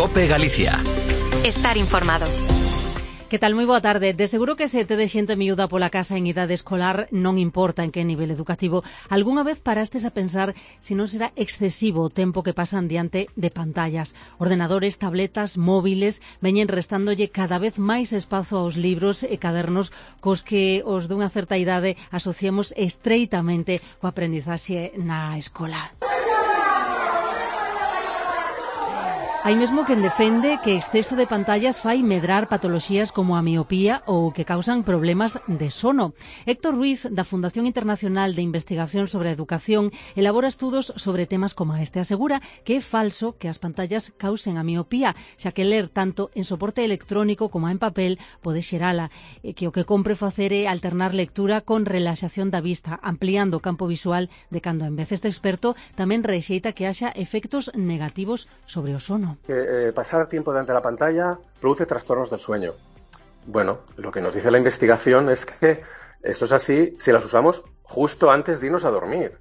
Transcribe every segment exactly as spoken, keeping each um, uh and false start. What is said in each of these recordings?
COPE Galicia. Estar informado. Que tal? Moi boa tarde. De seguro que se te de xente miúda pola casa en idade escolar, non importa en que nivel educativo. Algúnha vez parastes a pensar se non será excesivo o tempo que pasan diante de pantallas. Ordenadores, tabletas, móviles, veñen restándolle cada vez máis espazo aos libros e cadernos cos que os dunha certa idade asociamos estreitamente coa aprendizaxe na escola. Hai mesmo quen defende que exceso de pantallas fai medrar patoloxías como a miopía ou que causan problemas de sono. Héctor Ruiz, da Fundación Internacional de Investigación sobre a Educación, elabora estudos sobre temas como este. Asegura que é falso que as pantallas causen a miopía, xa que ler tanto en soporte electrónico como en papel pode xerala, e que o que compre facer é alternar lectura con relaxación da vista, ampliando o campo visual de cando en vez. Este experto tamén rexeita que haxa efectos negativos sobre o sono. Que eh, pasar tiempo delante de la pantalla produce trastornos del sueño. Bueno, lo que nos dice la investigación es que esto es así si las usamos justo antes de irnos a dormir,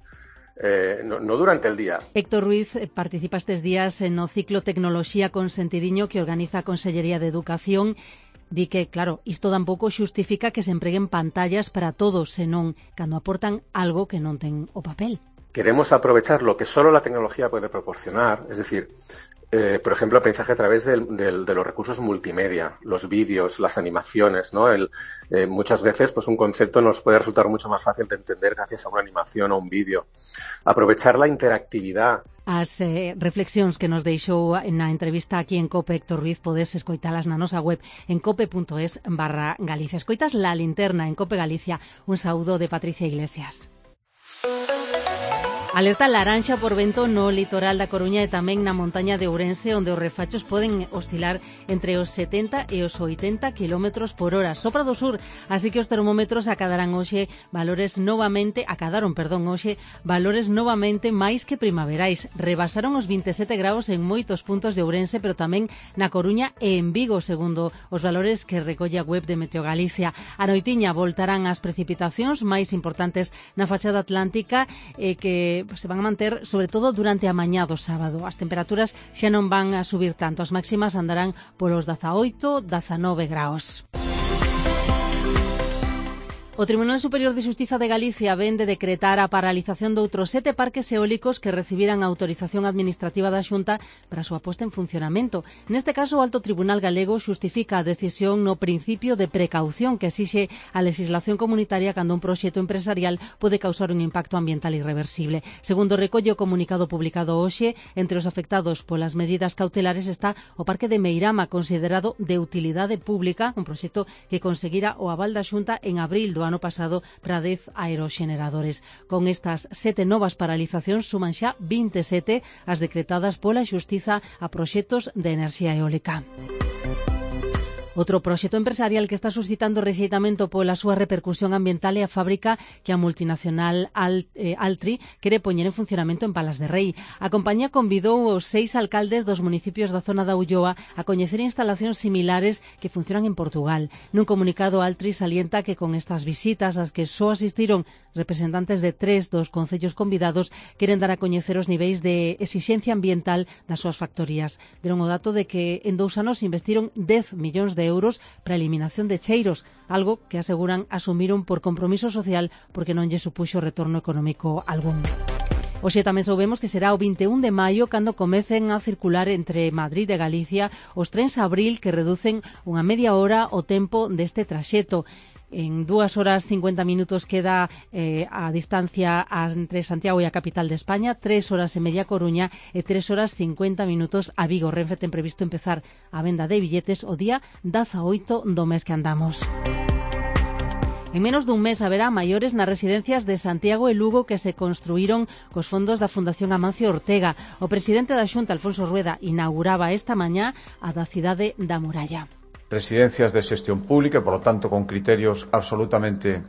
eh, no, no durante el día. Héctor Ruiz participa estes días en o ciclo Tecnoloxía con Sentidiño que organiza a Consellería de Educación. Di que, claro, isto tampouco xustifica que se empreguen pantallas para todos, senón cando aportan algo que non ten o papel. Queremos aprovechar lo que solo la tecnología puede proporcionar, es decir, Eh, por ejemplo, aprendizaje a través del, del, de los recursos multimedia, los vídeos, las animaciones, ¿no? El, eh, muchas veces, pues un concepto nos puede resultar mucho más fácil de entender gracias a una animación o un vídeo. Aprovechar la interactividad. As eh, reflexións que nos deixou na entrevista aquí en COPE Héctor Ruiz podes escoitalas na nosa web en cope.es barra Galicia. Escoitas La Linterna en COPE Galicia. Un saúdo de Patricia Iglesias. Alerta laranxa por vento no litoral da Coruña e tamén na montaña de Ourense, onde os refachos poden oscilar entre os setenta e os oitenta kilómetros por hora. Sopra do sur, así que os termómetros acadarán hoxe valores novamente, acadaron, perdón, hoxe valores novamente máis que primaverais. Rebasaron os vinte e sete graus en moitos puntos de Ourense, pero tamén na Coruña e en Vigo, segundo os valores que recolle a web de Meteo Galicia. A noitiña voltarán as precipitacións máis importantes na fachada atlántica e que se van a manter sobre todo durante a mañá do sábado. As temperaturas xa non van a subir tanto, as máximas andarán polos dezaoito, dezanove graus. O Tribunal Superior de Xustiza de Galicia ven de decretar a paralización de outros sete parques eólicos que recibiran a autorización administrativa da Xunta para a súa posta en funcionamento. Neste caso, o Alto Tribunal Galego xustifica a decisión no principio de precaución que exixe a legislación comunitaria cando un proxecto empresarial pode causar un impacto ambiental irreversible. Segundo recolle o comunicado publicado hoxe, entre os afectados polas medidas cautelares está o Parque de Meirama, considerado de utilidade pública, un proxecto que conseguira o aval da Xunta en abril do ano pasado para dez aeroxeneradores. Con estas sete novas paralizacións suman xa vinte e sete as decretadas pola Xustiza a proxectos de enerxía eólica. Outro proxecto empresarial que está suscitando rexeitamento pola súa repercusión ambiental é a fábrica que a multinacional Al, eh, Altri quere poñer en funcionamento en Palas de Rei. A compañía convidou os seis alcaldes dos municipios da zona da Ulloa a coñecer instalacións similares que funcionan en Portugal. Nun comunicado, Altri salienta que con estas visitas, as que só asistiron representantes de tres dos concellos convidados, queren dar a coñecer os niveis de exixencia ambiental das súas factorías. Deron o dato de que en dous anos investiron dez millóns de de euros para a eliminación de cheiros, algo que aseguran asumiron por compromiso social porque non lle supuxo retorno económico algún. Hoxe tamén soubemos que será o vinte e un de maio cando comecen a circular entre Madrid e Galicia os trens Abril que reducen unha media hora o tempo deste traxeto. En dúas horas cincuenta minutos queda eh, a distancia entre Santiago e a capital de España, tres horas e media Coruña e tres horas cincuenta minutos a Vigo. Renfe ten previsto empezar a venda de billetes o día dezaoito do mes que andamos. En menos dun mes haberá maiores nas residencias de Santiago e Lugo que se construíron cos fondos da Fundación Amancio Ortega. O presidente da Xunta, Alfonso Rueda, inauguraba esta mañá a da cidade da Muralla. Residencias de xestión pública, por lo tanto con criterios absolutamente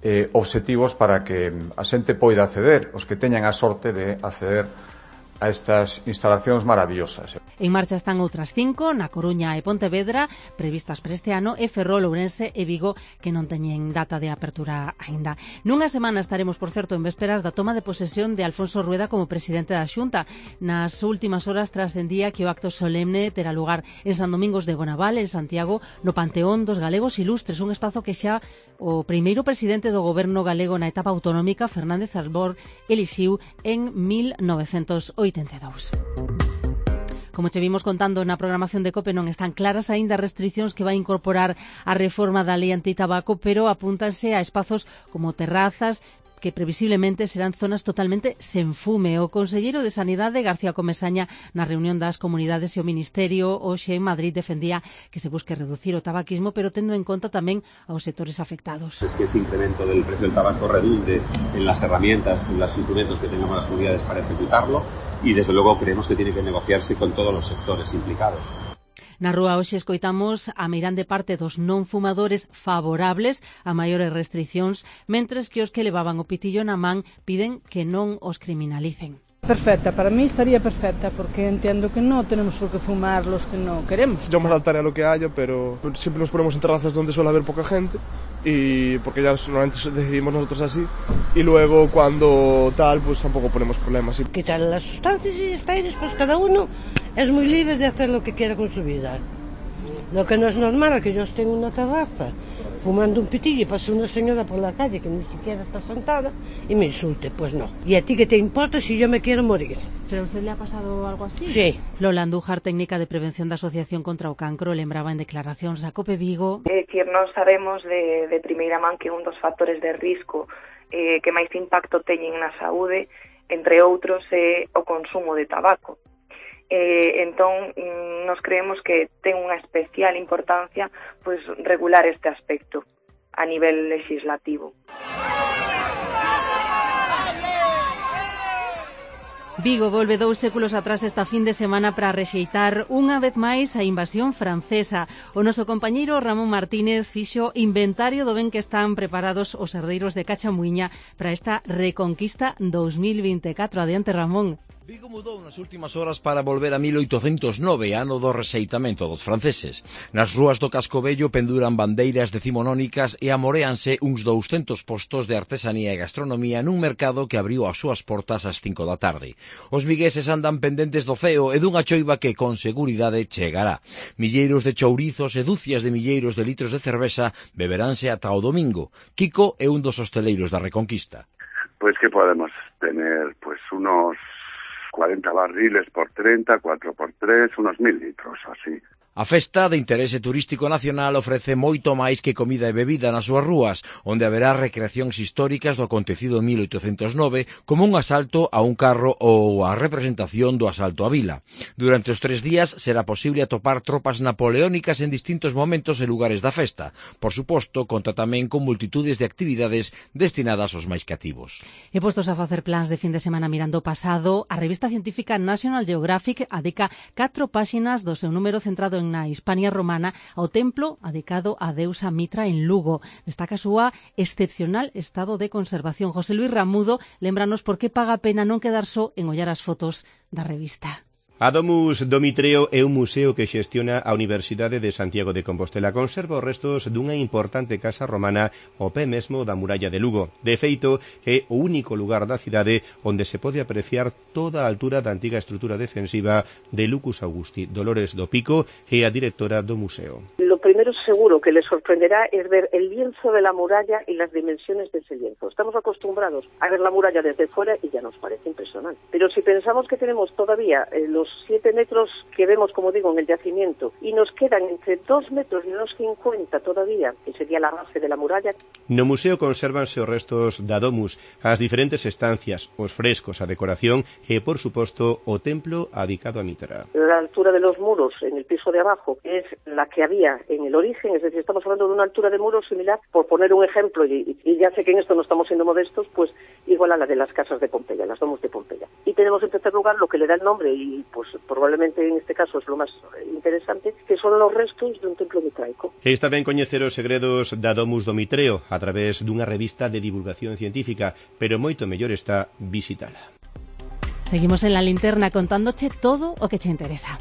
eh, obxectivos para que a xente poida acceder, os que teñan a sorte de acceder a estas instalacións maravillosas. En marcha están outras cinco, na Coruña e Pontevedra, previstas para este ano, e Ferrol, Ourense e Vigo, que non teñen data de apertura aínda. Nunha semana estaremos, por certo, en vésperas da toma de posesión de Alfonso Rueda como presidente da Xunta. Nas últimas horas trascendía que o acto solemne terá lugar en San Domingos de Bonaval, en Santiago, no Panteón dos Galegos Ilustres, un espazo que xa o primeiro presidente do goberno galego na etapa autonómica, Fernández Albor, elixiu en mil novecentos oitenta e dous. Como che vimos contando na programación de COPE, non están claras aínda as restriccións que vai incorporar a reforma da lei antitabaco, pero apúntanse a espazos como terrazas, que previsiblemente serán zonas totalmente sen fume. O conselleiro de Sanidade, García Comesaña, na reunión das comunidades e o Ministerio hoxe en Madrid defendía que se busque reducir o tabaquismo, pero tendo en conta tamén aos sectores afectados. Es que ese incremento del precio del tabaco redunde en las herramientas, en los instrumentos que tengamos las comunidades para ejecutarlo, y desde luego creemos que tiene que negociarse con todos los sectores implicados. Na rúa hoxe escoitamos a meirande parte dos non fumadores favorables a maiores restriccións, mentres que os que levaban o pitillo na man piden que non os criminalicen. Perfecta, para mí estaría perfecta, porque entiendo que no tenemos por qué fumar los que no queremos. Yo me adaptaré a lo que haya, pero siempre nos ponemos en terrazas donde suele haber poca gente, y porque ya normalmente decidimos nosotros así, y luego cuando tal, pues tampoco ponemos problemas. Quitar las sustancias y está ahí, después cada uno es muy libre de hacer lo que quiera con su vida. Lo que no es normal es que yo esté en una terraza fumando un pitillo y pase una señora por la calle que ni siquiera está sentada y me insulte. Pues no. ¿Y a ti qué te importa si yo me quiero morir? ¿Pero a usted le ha pasado algo así? Sí. Lola Andújar, técnica de prevención da Asociación contra o Cancro, lembraba en declaracións a COPE Vigo. É dicir, nós sabemos de, de primeira man que un dos factores de risco eh, que máis impacto teñen na saúde, entre outros, é o consumo de tabaco. Eh, entón, nos creemos que ten unha especial importancia pois regular este aspecto a nivel legislativo. Vigo volve dous séculos atrás esta fin de semana para rexeitar unha vez máis a invasión francesa. O noso compañeiro Ramón Martínez fixo inventario do ben que están preparados os herdeiros de Cachamuiña para esta Reconquista dos mil vinte e catro. Adiante, Ramón. Vigo mudou nas últimas horas para volver a mil oitocentos nove, ano do rexeitamento dos franceses. Nas rúas do Casco Vello penduran bandeiras decimonónicas e amoréanse uns douscentos postos de artesanía e gastronomía nun mercado que abriu as súas portas ás cinco da tarde. Os vigueses andan pendentes do ceo e dunha choiva que con seguridade chegará. Milleiros de chourizos e dúcias de milleiros de litros de cerveza beberánse ata o domingo. Kiko é un dos hosteleiros da Reconquista. Pues que podemos tener pues unos cuarenta barriles por treinta, cuatro por tres, unos mil litros, así. A festa de interese turístico nacional ofrece moito máis que comida e bebida nas súas rúas, onde haberá recreacións históricas do acontecido en mil oitocentos nove, como un asalto a un carro ou a representación do asalto á vila. Durante os tres días será posible atopar tropas napoleónicas en distintos momentos e lugares da festa. Por suposto, conta tamén con multitudes de actividades destinadas aos máis cativos. E postos a facer plans de fin de semana mirando o pasado, a revista científica National Geographic adica catro páxinas do seu número centrado en na Hispania romana ao templo adicado á deusa Mitra en Lugo. Destaca a súa excepcional estado de conservación. José Luis Ramudo, lémbranos por que paga a pena non quedar só en ollar as fotos da revista. A Domus do Mitreo é un museo que xestiona a Universidade de Santiago de Compostela. Conserva os restos dunha importante casa romana ao pé mesmo da muralla de Lugo. De feito, é o único lugar da cidade onde se pode apreciar toda a altura da antiga estrutura defensiva de Lucus Augusti. Dolores do Pico é a directora do museo. Lo primero seguro que les sorprenderá es ver el lienzo de la muralla y las dimensiones de ese lienzo. Estamos acostumbrados a ver la muralla desde fuera y ya nos parece impresionante. Pero si pensamos que tenemos todavía eh, los siete metros que vemos, como digo, en el yacimiento, y nos quedan entre dos metros y unos cincuenta todavía, que sería la base de la muralla. No museo consérvanse os restos da Domus, as diferentes estancias, os frescos, a decoración e, por suposto, o templo adicado a Mitra. La altura de los muros en el piso de abajo es la que había en el origen, es decir, estamos hablando de una altura de muros similar, por poner un ejemplo, y, y ya sé que en esto no estamos siendo modestos, pues igual a la de las casas de Pompeya, las Domus de Pompeya. Y tenemos en tercer lugar lo que le da el nombre, y pues probablemente en este caso es lo más interesante, que son los restos de un templo mitraico. Está ben coñecer os segredos da Domus do Mitreo a través dunha revista de divulgación científica, pero moito mellor está visitala. Seguimos en la linterna contándoche todo o que te interesa.